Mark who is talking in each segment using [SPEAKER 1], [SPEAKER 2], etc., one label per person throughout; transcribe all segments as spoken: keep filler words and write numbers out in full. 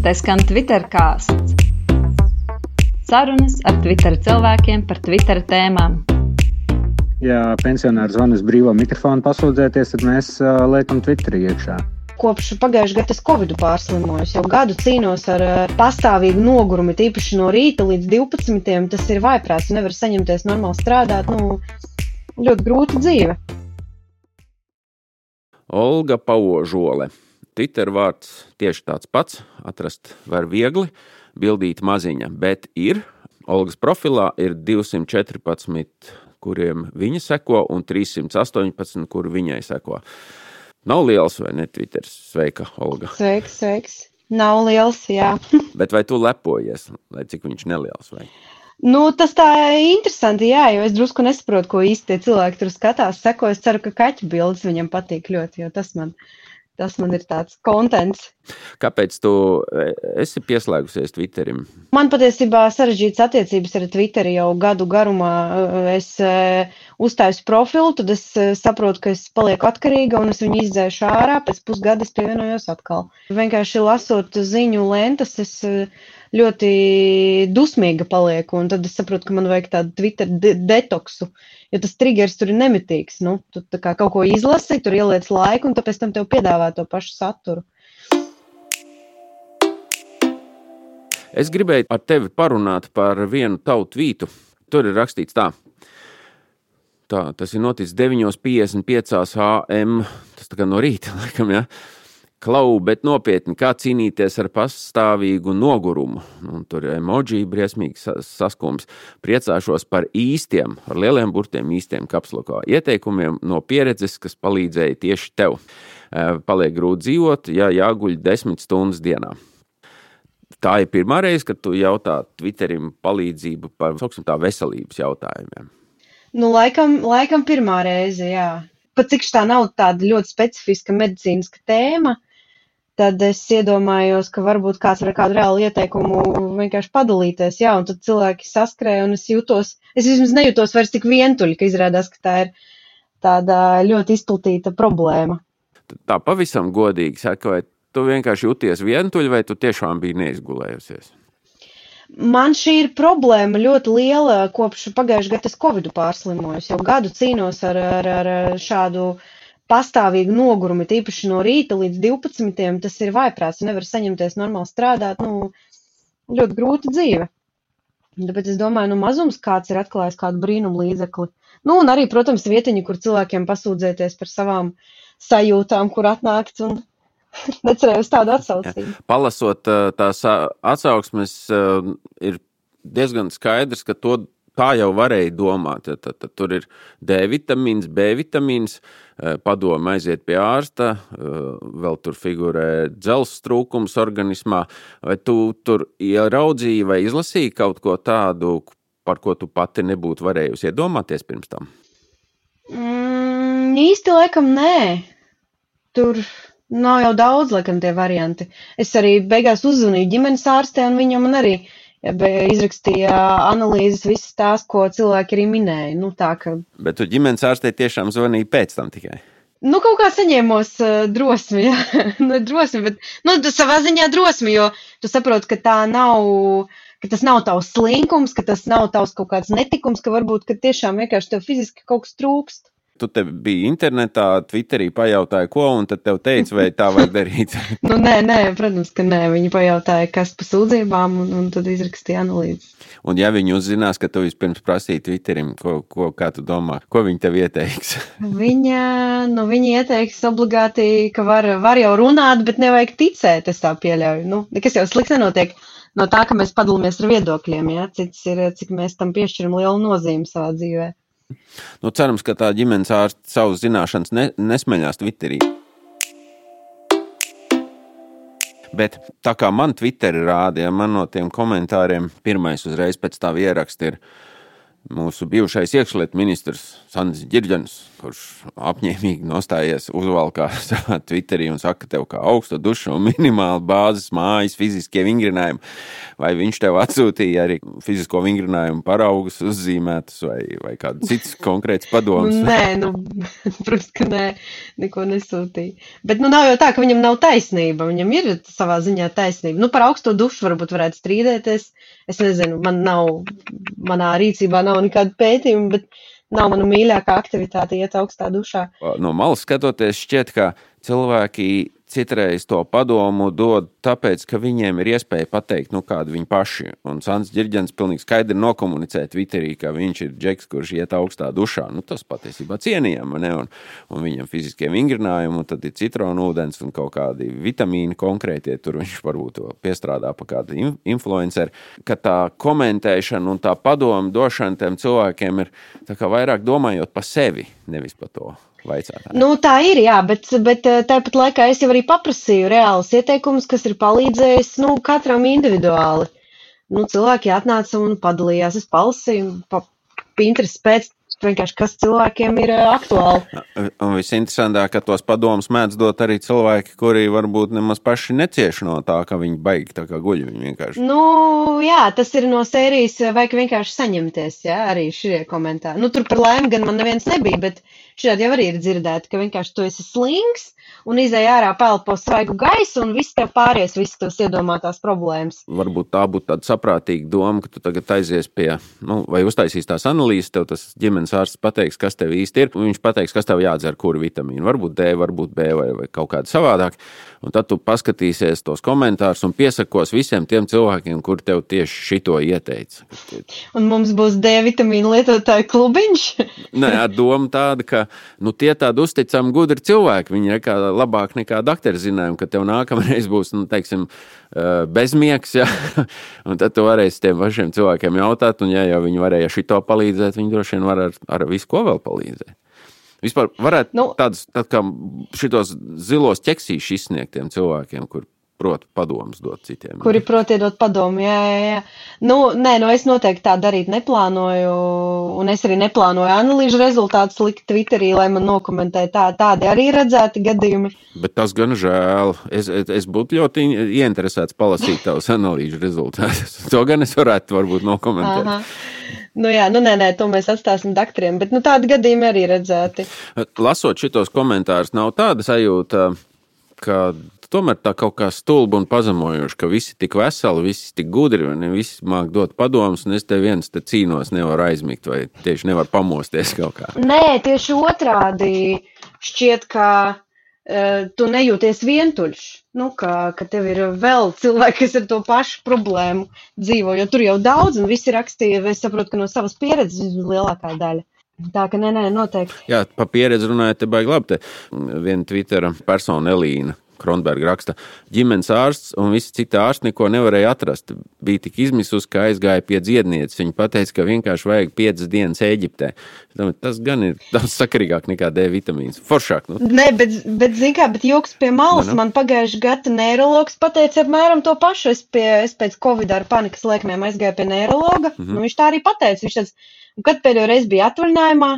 [SPEAKER 1] Te skan Twitter kāsts. Sarunas ar Twitter cilvēkiem par Twitter tēmām.
[SPEAKER 2] Ja pensionārs zvanas brīvo mikrofonu pasūdzēties, tad mēs uh, liekam Twitterī iekšā.
[SPEAKER 3] Kopš pagājušajā gadā es Covidu pārslimojos, jau gadu cīnos ar pastāvīgu nogurumu, tīpaši no rīta līdz divpadsmitiem. Tas ir vājprāts, nevar saņemties normāli strādāt, nu, ļoti grūta dzīve.
[SPEAKER 4] Olga Pauožole. Twitter vārds tieši tāds pats, atrast var viegli, bildīt maziņa, bet ir. Olgas profilā ir divsimt četrpadsmit, kuriem viņa seko, un trīssimt astoņpadsmit, kur viņai seko. Nav liels, vai ne, Twitters? Sveika, Olga.
[SPEAKER 3] Sveiks, sveiks. Nav liels, jā.
[SPEAKER 4] Bet vai tu lepojies, lai cik viņš neliels, vai?
[SPEAKER 3] Nu, tas tā interesanti, jā, jo es drusku nesaprotu, ko īsti tie cilvēki tur skatās, seko. Es ceru, ka kaķu bildes viņam patīk ļoti, jo tas man, tas man ir tāds kontents.
[SPEAKER 4] Kāpēc tu esi pieslēgusies Twitterim?
[SPEAKER 3] Man patiesībā sarežģītas attiecības ar Twitteri jau gadu garumā. Es uztaisu profilu, tad es saprotu, ka es palieku atkarīga un es viņu izdzēšu ārā, pēc pusgada es pievienojos atkal. Vienkārši lasot ziņu lentas, es ļoti dusmīga palieku, un tad es saprotu, ka man vajag tādu Twitter de- detoksu, jo tas triggers tur ir nemitīgs. Nu, tu tā kā kaut ko izlasi, tur ieliec laiku, un tāpēc tam tev piedāvā to pašu saturu.
[SPEAKER 4] Es gribēju ar tevi parunāt par vienu tavu tvītu. Tur ir rakstīts tā. Tā, tas ir noticis deviņi piecdesmit pieci a m, tas tā kā no rīta, laikam, ja? Klau, bet nopietni, kā cīnīties ar pastāvīgu nogurumu. Un tur ir emoji, briesmīgs saskums. Priecāšos par īstiem, ar lieliem burtiem īstiem kapslokā ieteikumiem no pieredzes, kas palīdzēja tieši tev. Paliek grūti dzīvot, ja jāguļ desmit stundas dienā. Tā ir pirmā reize, kad tu jautā Twitterim palīdzību par, sauksim tā, veselības jautājumiem.
[SPEAKER 3] Nu, laikam, laikam pirmā reize, jā. Pat cik tā nav tāda ļoti specifiska medicīniska tēma, tad es iedomājos, ka varbūt kāds var kādu reālu ieteikumu vienkārši padalīties, jā, un tad cilvēki saskrēja, un es jūtos, es vismaz nejūtos vairs tik vientuļi, ka izrādās, ka tā ir tāda ļoti izplatīta problēma.
[SPEAKER 4] Tā pavisam godīgi saka, vai tu vienkārši jūties vientuļi, vai tu tiešām biji neizgulējusies?
[SPEAKER 3] Man šī ir problēma ļoti liela, kopš pagājušajā gadā es Covidu pārslimojos, jau gadu cīnos ar, ar, ar šādu pastāvīgu nogurumu, tīpaši no rīta līdz divpadsmitiem. Tas ir vājprāts, nevar saņemties normāli strādāt, nu, ļoti grūta dzīve. Tāpēc es domāju, nu, mazums kāds ir atklājis kādu brīnumu līdzekli. Nu, un arī, protams, vietiņi, kur cilvēkiem pasūdzēties par savām sajūtām, kur atnākt un necerēju uz tādu atsaucību.
[SPEAKER 4] Palasot tās atsauksmes, ir diezgan skaidrs, ka to tā jau varēja domāt. Tad, tad tur ir D vitamīns, B vitamīns, padoma aiziet pie ārsta, vēl tur figurē dzelzs trūkums organismā. Vai tu tur ieraudzīji vai izlasīji kaut ko tādu, par ko tu pati nebūtu varējusi iedomāties pirms tam?
[SPEAKER 3] Mm, īsti laikam nē. Tur nav jau daudz, laikam, tie varianti. Es arī beigās uzzvanīju ģimenes ārstē, un viņa man arī izrakstīja analīzes visas tās, ko cilvēki arī minēja. Nu, tā, ka...
[SPEAKER 4] Bet tu ģimenes ārstē tiešām zvanīji pēc tam tikai?
[SPEAKER 3] Nu, kaut kā saņēmos uh, drosmi, jā. Ne drosmi, bet, nu, savā ziņā drosmi, jo tu saproti, ka tā nav, ka tas nav tavs slinkums, ka tas nav tavs kaut kāds netikums, ka varbūt, ka tiešām vienkārši tev fiziski kaut kas trūkst.
[SPEAKER 4] Tu te biji internetā, Twitterī pajautāja, ko, un tad tev teica, vai tā vajag darīt?
[SPEAKER 3] Nu, nē, nē, protams, ka nē. Viņi pajautāja, kas pa sūdzībām, un, un tad izrakstīja analīzes.
[SPEAKER 4] Un ja viņi uzzinās, ka tu vispirms prasīji Twitterim, ko, ko, kā tu domā, ko viņi tev ieteiks?
[SPEAKER 3] Viņa, nu, viņi ieteiks obligāti, ka var, var jau runāt, bet nevajag ticēt, es tā pieļauju. Nu, nekas jau slikts nenotiek no tā, ka mēs padalāmies ar viedokļiem, ja? Cits ir, cik mēs tam piešķiram lielu nozīmi savā dzīvē.
[SPEAKER 4] Nu, cerams, ka tā ģimenes ārsts savas zināšanas ne, nesmeļās Twitterī. Bet tā kā man Twitteri rādīja, man no tiem komentāriem pirmais uzreiz pēc tā ieraksta ir mūsu bijušais iekšlietu ministrs Sandis Ģirģens, kurš apņēmīgi nostājies uzvalkā savā Twitterī un saka, ka tev kā augsta duša un minimāli bāzes mājas fiziskie vingrinājumi, vai viņš tev atsūtīja arī fizisko vingrinājumu paraugus uzzīmētus vai, vai kādu cits konkrēts padoms?
[SPEAKER 3] Nē, nu, protams, ka nē, neko nesūtīja. Bet nu nav jau tā, ka viņam nav taisnība, viņam ir savā ziņā taisnība. Nu, par augsto dušu varbūt varētu strīdēties. Es nezinu, man nav, manā rīcībā nav nekāda pētījuma, bet nav mana mīļākā aktivitāte iet augstā dušā.
[SPEAKER 4] No malas skatoties šķiet, ka cilvēki citreiz to padomu dod tāpēc, ka viņiem ir iespēja pateikt, nu kādu viņi paši. Un Sandis Ģirģens pilnīgi skaidri nokomunicē Twitterī, ka viņš ir džeks, kurš iet augstā dušā. Nu tas patiesībā cienījami, ne? Un, un viņam fiziskie vingrinājumi, un tad ir citronu ūdens un kaut kādi vitamīni konkrētie, tur viņš varbūt piestrādā pa kādu influenceri, ka tā komentēšana un tā padomu došana tiem cilvēkiem ir tā kā vairāk domājot pa sevi, nevis pa to. Vaicātā.
[SPEAKER 3] Nu, tā ir, jā, bet, bet tāpat laikā es jau arī paprasīju reālus ieteikumus, kas ir palīdzējis, nu, katram individuāli. Nu, cilvēki atnāca un padalījās, es palasīju, pa Pinterest pēc, vienkārši, kas cilvēkiem ir aktuāli.
[SPEAKER 4] Un visinteresantāk, ka tos padomus mēdz dot arī cilvēki, kuri varbūt nemaz paši necieši no tā, ka viņi baigi tā kā guļ, viņi vienkārši.
[SPEAKER 3] Nu, jā, tas ir no sērijas, vajag vienkārši saņemties, jā, arī šie komentāri. Nu, tur par laimi gan man neviens nebija, bet šādi jau arī ir dzirdēti, ka vienkārši tu esi slings un izēj ārā pelpo svaigu gaisu un viss tev pāries, viss tavs iedomātās problēmas.
[SPEAKER 4] Varbūt tā būtu tāda saprātīga doma, ka tu tagad aizies pie, nu, vai uztaisīs tās analīzes, tev tas ģimenes ārsts pateiks, kas tev īsti ir, un viņš pateiks, kas tev jādzer, kuru vitamīnu, varbūt D, varbūt B vai, vai kaut kādu savādāk, un tad tu paskatīsies tos komentārus un piesakos visiem tiem cilvēkiem, kur tev tieši šito ieteica.
[SPEAKER 3] Un mums būs D vitamīnu lietotāju klubiņš?
[SPEAKER 4] Nē, doma tāda, ka, nu, tie tādi uzticami gudri cilvēki, viņi ir kā labāk nekā dakteri zinājumi, ka tev nākamreiz būs, nu, teiksim, bezmiegs, ja? Un tad tu varēsi tiem pašiem cilvēkiem jautāt, un ja jau viņi varēja šito palīdzēt, viņi droši vien var ar, ar visu ko vēl palīdzēt. Vispār varētu nu, tādus, tā kā šitos zilos ķeksīšus izsniegt tiem cilvēkiem, kur prot padomus dot citiem.
[SPEAKER 3] Kuri prot iedot padomu, jā, jā, jā. Nu, nē, nu es noteikti tā darīt neplānoju, un es arī neplānoju analīžu rezultātus likt Twitterī, lai man nokomentē tā, tādi arī redzēti gadījumi.
[SPEAKER 4] Bet tas gan žēl. Es, es, es būtu ļoti ieinteresēts palasīt tavus analīžu rezultātus. To gan es varētu varbūt nokomentēt.
[SPEAKER 3] Aha. Nu jā, nu nē, nē, to mēs atstāsim daktriem, bet nu tādi gadījumi arī redzēti.
[SPEAKER 4] Lasot šitos komentārus, nav tāda sajūta, ka tomēr tā kaut kā stulba un pazemojoša, ka visi tik veseli, visi tik gudri, vai ne, visi māk dot padomus, un es te viens te cīnos nevaru aizmigt, vai tieši nevaru pamosties kaut kā.
[SPEAKER 3] Nē, tieši otrādi šķiet, ka uh, tu nejūties vientuļš, nu, ka, ka tev ir vēl cilvēki, kas ar to pašu problēmu dzīvo, jo tur jau daudz, un visi rakstīja, es saprotu, ka no savas pieredzes lielākā daļa. Tā ka nē, nē, noteikti.
[SPEAKER 4] Jā, pa pieredzi runājot, te baigi labi, te viena Twittera persona Elīna Kronberga raksta, ģimenes ārsts un visi citi ārsti neko nevarēja atrast. Bija tik izmisus, ka aizgāja pie dziednieces. Viņa pateica, ka vienkārši vajag piecas dienas Ēģiptē. Tas gan ir daudz sakarīgāk nekā D vitamīns. Foršāk, nu?
[SPEAKER 3] Nē, bet, bet zin kā, bet joks pie malas. Nu, nu. Man pagājuši gada neirologs pateica apmēram to pašu. Es, pie, es pēc Covid ar panikas lēkmēm aizgāju pie neirologa. Mm-hmm. Nu, viņš tā arī pateica. Viņš tāds, kad pēdējo reizi bija atvaļinājumā,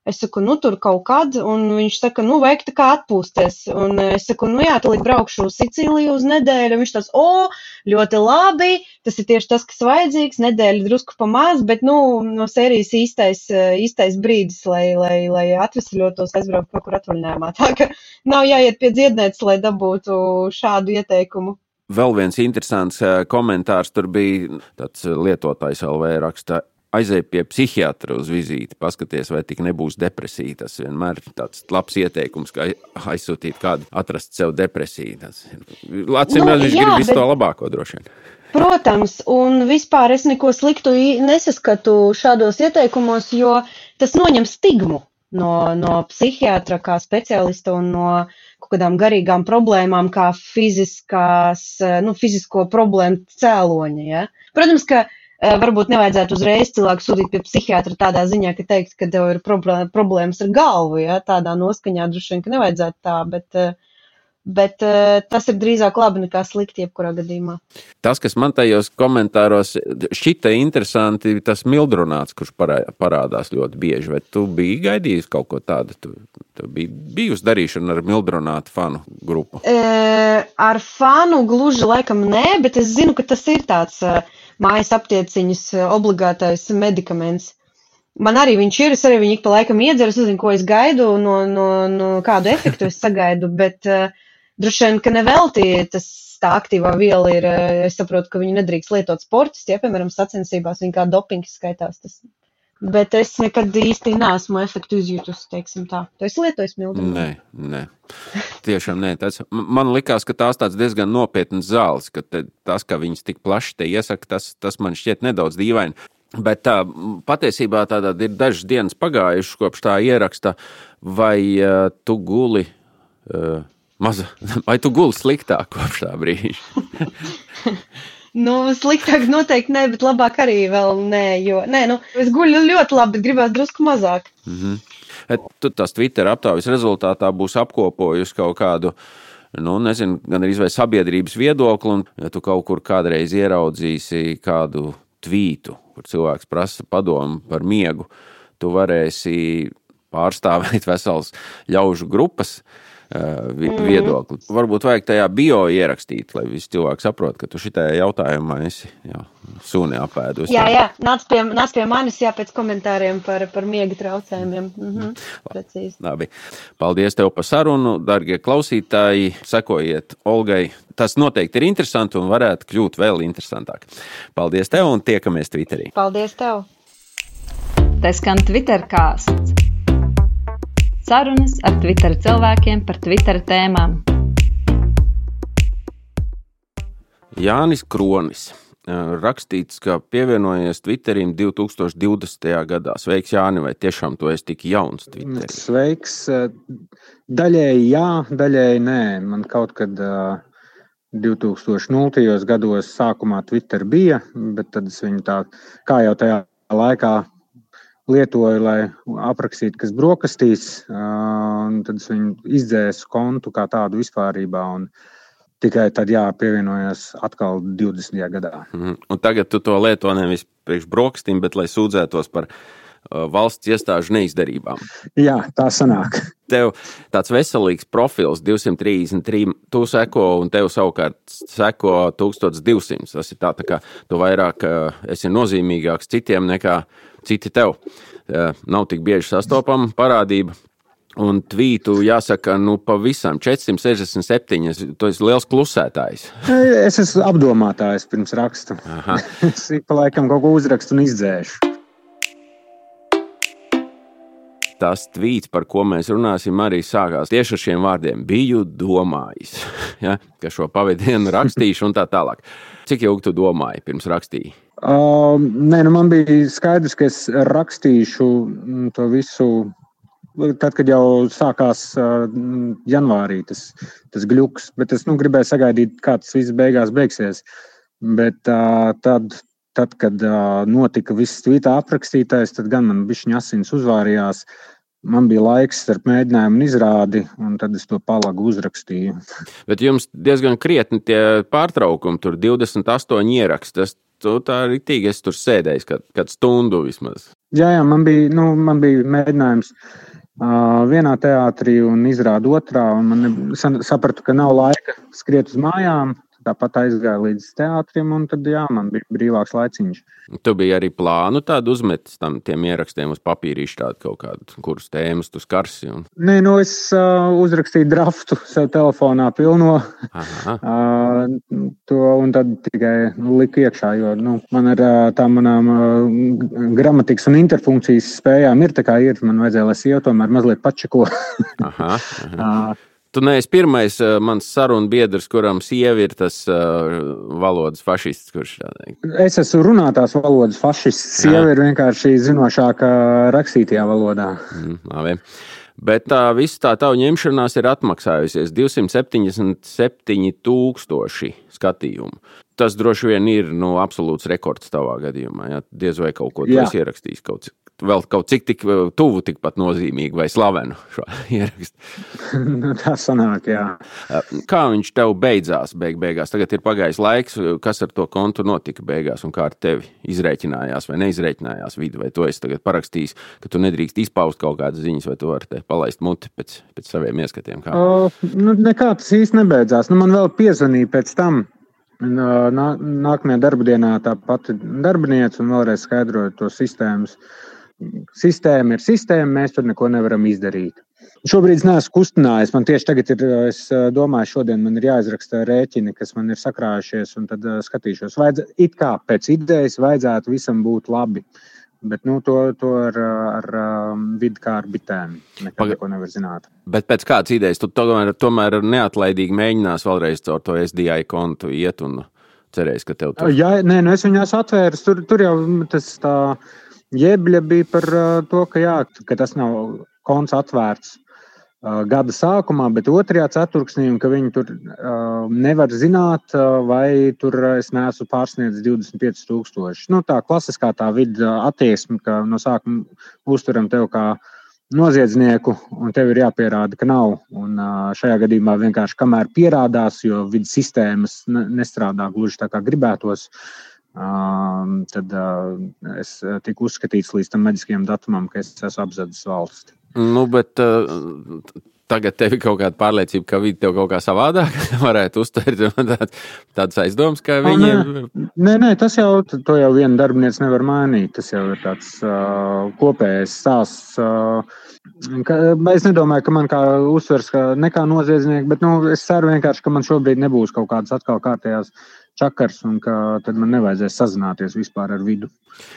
[SPEAKER 3] es saku, nu, tur kaut kad, un viņš saka, nu, vajag tā kā atpūsties. Un es saku, nu, jā, tūlīt braukšu uz Sicīliju uz nedēļu. Viņš tāds, o, ļoti labi, tas ir tieši tas, kas vajadzīgs, nedēļa drusku pa maz, bet, nu, no sērijas īstais, īstais brīdis, lai, lai, lai atvesļotos, aizbraukt kaut kur atvaļinājumā. Tā ka nav jāiet pie dziednieces, lai dabūtu šādu ieteikumu.
[SPEAKER 4] Vēl viens interesants komentārs tur bija, tāds lietotājs L V raksta, aizēj pie psihiatra uz vizīti, paskaties, vai tik nebūs depresija. Tas vienmēr ir tāds labs ieteikums, ka aizsūtīt kādu, atrast sev depresiju. Tas Lacim, nu, viņš jā, grib visu bet... to labāko droši vien.
[SPEAKER 3] Protams, un vispār es neko sliktu nesaskatu šādos ieteikumos, jo tas noņem stigmu no, no psihiatra kā speciālista un no kaut kādām garīgām problēmām, kā fiziskās, nu, fizisko problēmu cēloņa. Ja? Protams, ka varbūt nevajadzētu uzreiz cilvēku sūtīt pie psihiatra tādā ziņā, ka teikt, ka tev ir problēmas ar galvu, ja, tādā noskaņā droši vien, ka nevajadzētu tā, bet, Bet uh, tas ir drīzāk labi nekā slikti jebkurā gadījumā.
[SPEAKER 4] Tas, kas man tajos komentāros šķita interesanti, tas mildrunāts, kurš parādās ļoti bieži. Vai tu biji gaidījis kaut ko tādu? Tu, tu biji bijusi darīšana ar mildrunātu fanu grupu?
[SPEAKER 3] E, ar fanu gluži laikam nē, bet es zinu, ka tas ir tāds uh, mājas aptieciņas obligātais medikaments. Man arī viņš ir, es arī viņu ik pa laikam iedzeru, es nezinu, ko es gaidu, no, no, no kādu efektu es sagaidu, bet uh, droši vien, ka nevelti tas tā aktīvā viela ir, es saprotu, ka viņu nedrīkst lietot sportisti, ja, piemēram, sacensībās, viņa kā dopings skaitās tas. Bet es nekad īsti neesmu efektu izjūtus, teiksim tā. Tu esi lietojis mildrumu?
[SPEAKER 4] Nē, nē. Tiešām nē. Tas, man likās, ka tās tāds diezgan nopietnas zāles, ka te, tas, ka viņas tik plaši te iesaka, tas, tas man šķiet nedaudz dīvaini. Bet tā, patiesībā tādā ir dažas dienas pagājušas kopš tā ieraksta, vai uh, tu guli... Uh, Maza, vai tu guli sliktāk kopš tā brīža?
[SPEAKER 3] Nu, sliktāk noteikti nē, bet labāk arī vēl nē, jo, nē, nu, es guļu ļoti labi, bet gribētu drusku mazāk.
[SPEAKER 4] Mm-hmm. Tu tās Twitter aptaujas rezultātā būs apkopojusi kaut kādu, nu, nezinu, gan arī vai sabiedrības viedokli, un ja tu kaut kur kādreiz ieraudzīsi kādu tvītu, kur cilvēks prasa padomu par miegu, tu varēsi pārstāvēt vesels ļaužu grupas, viedokli. Mm. Varbūt vajag tajā bio ierakstīt, lai visi cilvēki saprot, ka tu šitajā jautājumā esi jā, suni apēdus.
[SPEAKER 3] Jā, jā, nāc pie, nāc pie manis, jā, pēc komentāriem par, par miega traucējumiem. Mhm, precīzi.
[SPEAKER 4] Labi. Paldies tev par sarunu, dargie klausītāji, sekojiet Olgai. Tas noteikti ir interesanti un varētu kļūt vēl interesantāk. Paldies tev un tiekamies Twitterī.
[SPEAKER 3] Paldies tev.
[SPEAKER 1] Tas skan Twitter kāsts. Sarunas ar Twitter cilvēkiem par Twitter tēmām.
[SPEAKER 4] Jānis Kronis. Rakstīts, ka pievienojies Twitterim divi tūkstoši divdesmitajā gadā. Sveiks, Jāni, vai tiešām tu esi tik jauns Twitterī?
[SPEAKER 2] Sveiks. Daļēji jā, daļēji nē. Man kaut kad divi tūkstoši nultajos gados sākumā Twitter bija, bet tad es viņu tā, kā jau tajā laikā lietoju, lai aprakstītu, kas brokastīs, un tad es viņu izdzēsu kontu kā tādu vispārībā, un tikai tad jā, pievienojos atkal divdesmitajā gadā.
[SPEAKER 4] Mm. Un tagad tu to lieto nevis priekš brokastīm, bet lai sūdzētos par uh, valsts iestāžu neizdarībām.
[SPEAKER 2] Jā, tā sanāk.
[SPEAKER 4] Tev tāds veselīgs profils divsimt trīsdesmit trīs, tu seko un tev savukārt seko tūkstoš divsimt. Tas ir tā, tā kā tu vairāk uh, esi nozīmīgāks citiem nekā citi tev. Uh, nav tik bieži sastopama parādība. Un tvītu jāsaka, nu pavisam četrsimt sešdesmit septiņi, tu esi liels klusētājs.
[SPEAKER 2] Es esmu apdomātājs pirms rakstu. Es ik pa laikam kaut ko uzrakstu un izdzēšu.
[SPEAKER 4] Tas tvīts, par ko mēs runāsim, arī sākās tieši ar šiem vārdiem. Biju domājis, ja, ka šo pavadienu rakstīšu un tā tālāk. Cik ilgi tu domāji pirms rakstīji?
[SPEAKER 2] Uh, nē, nu man bija skaidrs, ka es rakstīšu to visu, tad, kad jau sākās uh, janvārī tas, tas gļuks, bet es nu, gribēju sagaidīt, kā tas viss beigās beigsies. Bet uh, tad, tad, kad uh, notika viss tvītā aprakstītais, tad gan man bišķiņ asins uzvārījās. Man bija laiks starp mēģinājumu un izrādi, un tad es to palagu uzrakstīju.
[SPEAKER 4] Bet jums diezgan krietni tie pārtraukumi, tur divdesmit astoņi ieraksti. Tu tā ritīgi esi tur sēdējis, kad, kad stundu vismaz.
[SPEAKER 2] Jā, jā, man bija, nu, man bija mēģinājums uh, vienā teātrī un izrāda otrā, un man ne, sapratu, ka nav laika skriet uz mājām. Tāpat aizgāju līdz teātrim, un tad, jā, man bija brīvāks laiciņš.
[SPEAKER 4] Tu biji arī plānu tādu uzmetis tam tiem ierakstiem uz papīrīšu tādu kaut kādu, kuras tēmas tu skarsi? Un...
[SPEAKER 2] Nē, nu es uh, uzrakstīju draftu sev telefonā pilno, uh, to, un tad tikai nu, liku iekšā, jo nu, man ar uh, tā manām uh, gramatikas un interfunkcijas spējām ir tā kā ir, man vajadzēja, lai sieva tomēr mazliet pačeko.
[SPEAKER 4] aha, aha. uh, Tu neesi pirmais uh, mans sarunu biedrs, kuram sievi ir tas uh, valodas fašists, kurš tādā.
[SPEAKER 2] Es esmu runātās valodas fašists. Sieva ir vienkārši zinošāka rakstītajā valodā.
[SPEAKER 4] Mm, labi. Bet tā visa tā tavu ņemšanās ir atmaksājusies divsimt septiņdesmit septiņi tūkstoši skatījumu. Tas droši vien ir nu, absolūts rekords tavā gadījumā. Ja? Diez vai kaut ko tu esi ierakstījis kaut vēl kaut cik tik tuvu, tikpat nozīmīgi vai slavenu šo ierakstu.
[SPEAKER 2] Nu, tā sanāk, jā.
[SPEAKER 4] Kā viņš tev beidzās beig beigās? Tagad ir pagājis laiks, kas ar to kontu notika beigās un kā ar tevi izrēķinājās vai neizrēķinājās vidi, vai to esi tagad parakstījis, ka tu nedrīkst izpaust kaut kādas ziņas, vai tu vari te palaist muti pēc, pēc saviem ieskatiem? Kā?
[SPEAKER 2] O, nu, nekā tas īsti nebeidzās. Nu, man vēl piezvanīja pēc tam. Nā, nākamajā darba dienā tā pati darbiniece un vēlreiz skaidroja to sistēmas. Sistēma ir sistēma, mēs tur neko nevaram izdarīt. Šobrīd es neesmu kustinājies, man tieši tagad ir, es domāju, šodien man ir jāizraksta rēķini, kas man ir sakrājušies, un tad skatīšos. Vajadz, it kā pēc idejas vajadzētu visam būt labi. Bet nu, to, to ar, ar vidi kā ar bitēm nekad neko nevar zināt.
[SPEAKER 4] Bet pēc kādas idejas tu tomēr, tomēr neatlaidīgi mēģinās vēlreiz caur to S D I kontu iet un cerēs, ka tev tur...
[SPEAKER 2] Jā, nē, nu es viņās atvērs, tur, tur jau tas tā jebļa bija par to, ka jā, ka tas nav konts atvērts gada sākumā, bet otrajā ceturksnī, un ka viņi tur uh, nevar zināt, uh, vai tur es neesmu pārsniedzis divdesmit pieci tūkstoši. Nu, tā klasiskā tā vida attieksme, ka no sākuma uzturam tev kā noziedznieku, un tev ir jāpierāda, ka nav. Un uh, šajā gadījumā vienkārši kamēr pierādās, jo vidas sistēmas nestrādā gluži tā kā gribētos, uh, tad uh, es tiku uzskatīts līdz tam maģiskajam datumam, ka es esmu apzadzis valsti.
[SPEAKER 4] Nu, bet uh, tagad tev ir kaut kāda pārliecība, ka vidi tev kaut kā savādāk varētu uztvert tād, tādas aizdomas, ka viņi...
[SPEAKER 2] Nē, nē, nē, tas jau, to jau viena darbiniece nevar mainīt. Tas jau ir tāds uh, kopējais stāsts. Uh, ka, es nedomāju, ka man kā uzsvers ka nekā noziedznieki, bet nu, es ceru vienkārši, ka man šobrīd nebūs kaut kādas atkal kārtējās čakars un ka tad man nevajadzēs sazināties vispār ar vidu.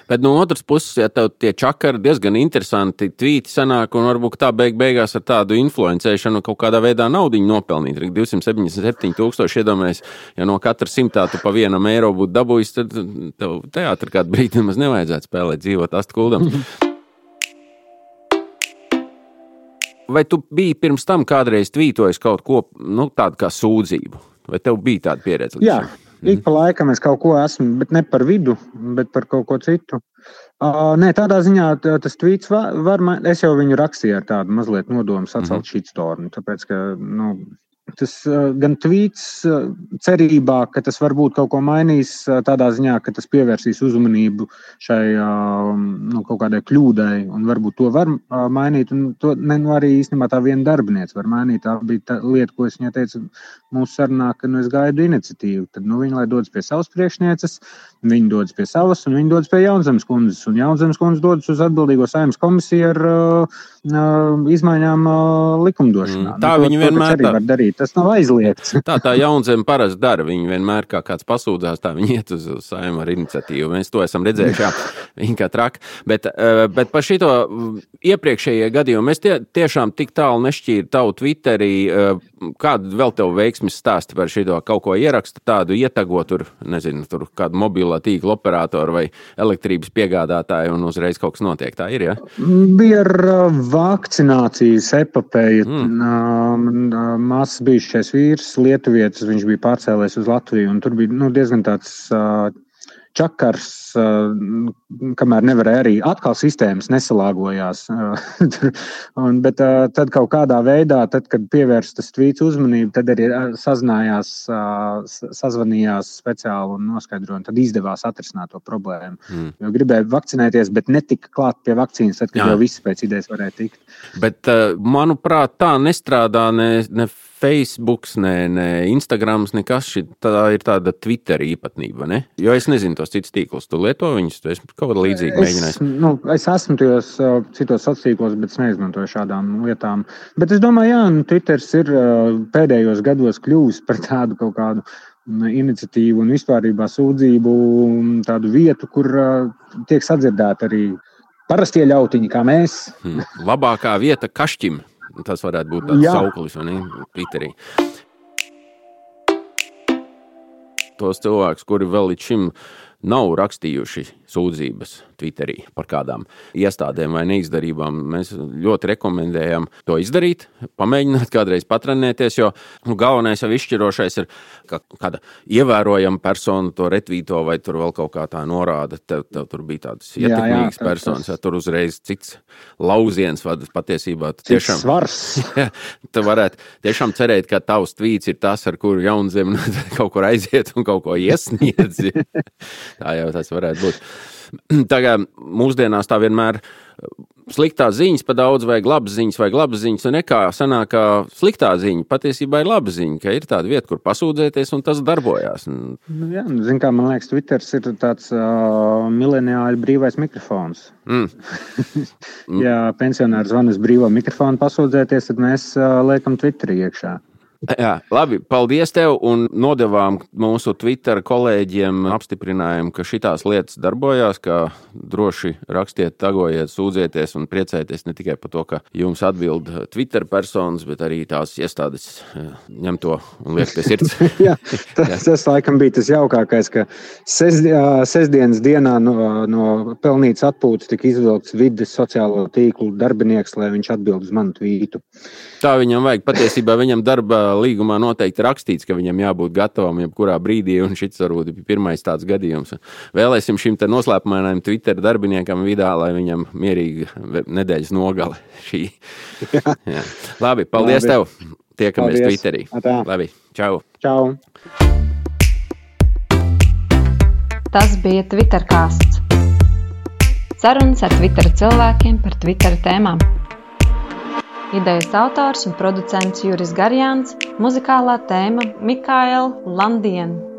[SPEAKER 4] Bet no otras puses, ja tev tie čakari diezgan interesanti tvīti sanāk un varbūt tā beig beigās ar tādu influencēšanu kaut kādā veidā naudiņu nopelnīt. divsimt septiņdesmit septiņi tūkstoši iedomājies, ja no katra simtā tu pa vienam eiro būtu dabūjis, tad tev teātri kādu brīdi nemaz nevajadzētu spēlēt, dzīvot astu kuldams. Vai tu biji pirms tam kādreiz tvītojis kaut ko, nu, tādu kā sūdzību? Vai tev bija tāda pieredze?
[SPEAKER 2] Jā. Ik pa laikam es kaut ko esmu, bet ne par vidu, bet par kaut ko citu. Uh, nē, tādā ziņā tas tvīts var, var, es jau viņu rakstīju ar tādu mazliet nodomu sacelt mm-hmm. shitstormu, tāpēc, ka, nu, tas uh, gan tvīts uh, cerībā, ka tas varbūt kaut ko mainīs uh, tādā ziņā, ka tas pievērsīs uzmanību šai uh, nu, kaut kādai kļūdai, un varbūt to var uh, mainīt, un to ne, nu, arī īstenībā tā viena darbiniece var mainīt. Tā bija tā lieta, ko es viņai teicu mūsu sarunā, ka nu, es gaidu iniciatīvu. Tad nu, viņi lai dodas pie savas priekšnieces, viņi dodas pie savas, un viņi dodas pie Jaunzemes kundzes, un Jaunzemes kundzes dodas uz atbildīgo Saeimas komisiju ar uh, uh, izmaiņām uh, likumdošanā.
[SPEAKER 4] Mm, tā nu, viņi to, vienmēr
[SPEAKER 2] to var darīt. Tas nav aizliegts.
[SPEAKER 4] Tā tā Jaunzeme parasti dara. Viņi vienmēr kā kāds pasūdzās, tā viņi iet uz, uz Saimu ar iniciatīvu. Mēs to esam redzējuši, jā, viņi kā traki. Bet, bet par šito iepriekšējie gadījumi mēs tie, tiešām tik tālu nešķīru tavu Twitterī. Kādu vēl tev veiksmes stāsti par šito kaut ko ieraksta, tādu ietago tur, nezinu, tur kādu mobilā tīkla operātoru vai elektrības piegādātāju un uzreiz kaut kas notiek. Tā ir, jā?
[SPEAKER 2] Bija ar vakcinācijas epopēju. Mm. Māsas bijušais vīrs, lietuvietis, viņš bija pārcēlējis uz Latviju, un tur bija nu, diezgan tāds uh, čakars, uh, kamēr nevarēja arī atkal sistēmas nesalāgojās. un, bet uh, tad kaut kādā veidā, tad, kad pievērst tas tvīts uzmanību, tad arī sazinājās, uh, sazvanījās speciāli un noskaidroja, un tad izdevās atrisināt to problēmu. Mm. Jo gribēja vakcinēties, bet netika klāt pie vakcīnas, tad, kad Jā. Jau viss pēc idejas varēja tikt.
[SPEAKER 4] Bet, uh, manuprāt, tā nestrādā ne, ne Facebooks, ne, ne Instagrams, nekas. Tā ir tāda Twitter īpatnība, ne? Jo es nezinu tos citus tīklus. Tu lieto viņus? Tu esi kaut kādā līdzīgi mēģinājis?
[SPEAKER 2] Nu, es esmu tajos uh, citos sociālos, bet es neizmantoju šādām lietām. Bet es domāju, jā, nu, Twitters ir uh, pēdējos gados kļuvis par tādu kaut kādu iniciatīvu un vispārībā sūdzību tādu vietu, kur uh, tiek sadzirdēti arī parastie ļautiņi, kā mēs.
[SPEAKER 4] Hmm. Labākā vieta kašķim. Tas varētu būt tāds sauklis, vai ne, Twitterī. Tos cilvēkus, kuri vēl līdz šim nav rakstījuši sūdzības Twitterī par kādām iestādēm vai neizdarībām. Mēs ļoti rekomendējam to izdarīt, pamēģināt kādreiz patrenēties, jo nu, galvenais jau izšķirošais ir, ka kāda ievērojama persona to retvīto vai tur vēl kaut kā tā norāda. Tev, tev tur bija tādas ietekmīgas personas, ja tur uzreiz cits lauziens vad patiesībā. Tiešām,
[SPEAKER 2] cits svars.
[SPEAKER 4] Ja, tu varētu tiešām cerēt, ka tavs tvīts ir tas, ar kuru Jaunzem kaut kur aiziet un kaut ko iesniedz. Tā jau tas varētu būt. Tagad mūsdienās tā vienmēr sliktās ziņas pa daudz vajag labas ziņas vai labas ziņas, un nekā sanāk, ka sliktā ziņa patiesībā ir laba ziņa, ka ir tāda vieta, kur pasūdzēties, un tas darbojās.
[SPEAKER 2] Nu, jā, zin kā, man liekas, Twitters ir tāds uh, mileniāļu brīvais mikrofons. Mm. Ja pensionāri zvana uz brīvo mikrofonu pasūdzēties, tad mēs uh, liekam Twitterī iekšā.
[SPEAKER 4] Jā, labi, paldies tev un nodevām mūsu Twitter kolēģiem apstiprinājumu, ka šitās lietas darbojās, ka droši rakstiet, tagojiet, sūdzieties un priecājieties ne tikai par to, ka jums atbild Twitter personas, bet arī tās iestādes ņem to un liek pie sirds.
[SPEAKER 2] Jā, tas, tas laikam bija tas jaukākais, ka sest, sestdienas dienā no, no pelnītas atpūtas tika izvilkts vides sociālo tīklu darbinieks, lai viņš atbild uz manu tvītu.
[SPEAKER 4] Tā viņam vajag. Patiesībā viņam darba līgumā noteikti rakstīts, ka viņam jābūt gatavam jebkurā brīdī, un šits varbūt ir pirmais tāds gadījums. Vēlēsim šim te noslēpumainajam Twitter darbiniekam vidā, lai viņam mierīgi nedēļas nogale šī. Jā. Jā. Labi, paldies Labi. Tev. Tiekamies paldies. Twitterī.
[SPEAKER 2] Atā.
[SPEAKER 4] Labi, čau.
[SPEAKER 2] Čau.
[SPEAKER 1] Tas bija Twitterkāsts. Sarunas ar Twitter cilvēkiem par Twitter tēmām. Idejas autors un producents Juris Garjāns, muzikālā tēma Mikaela Landiena.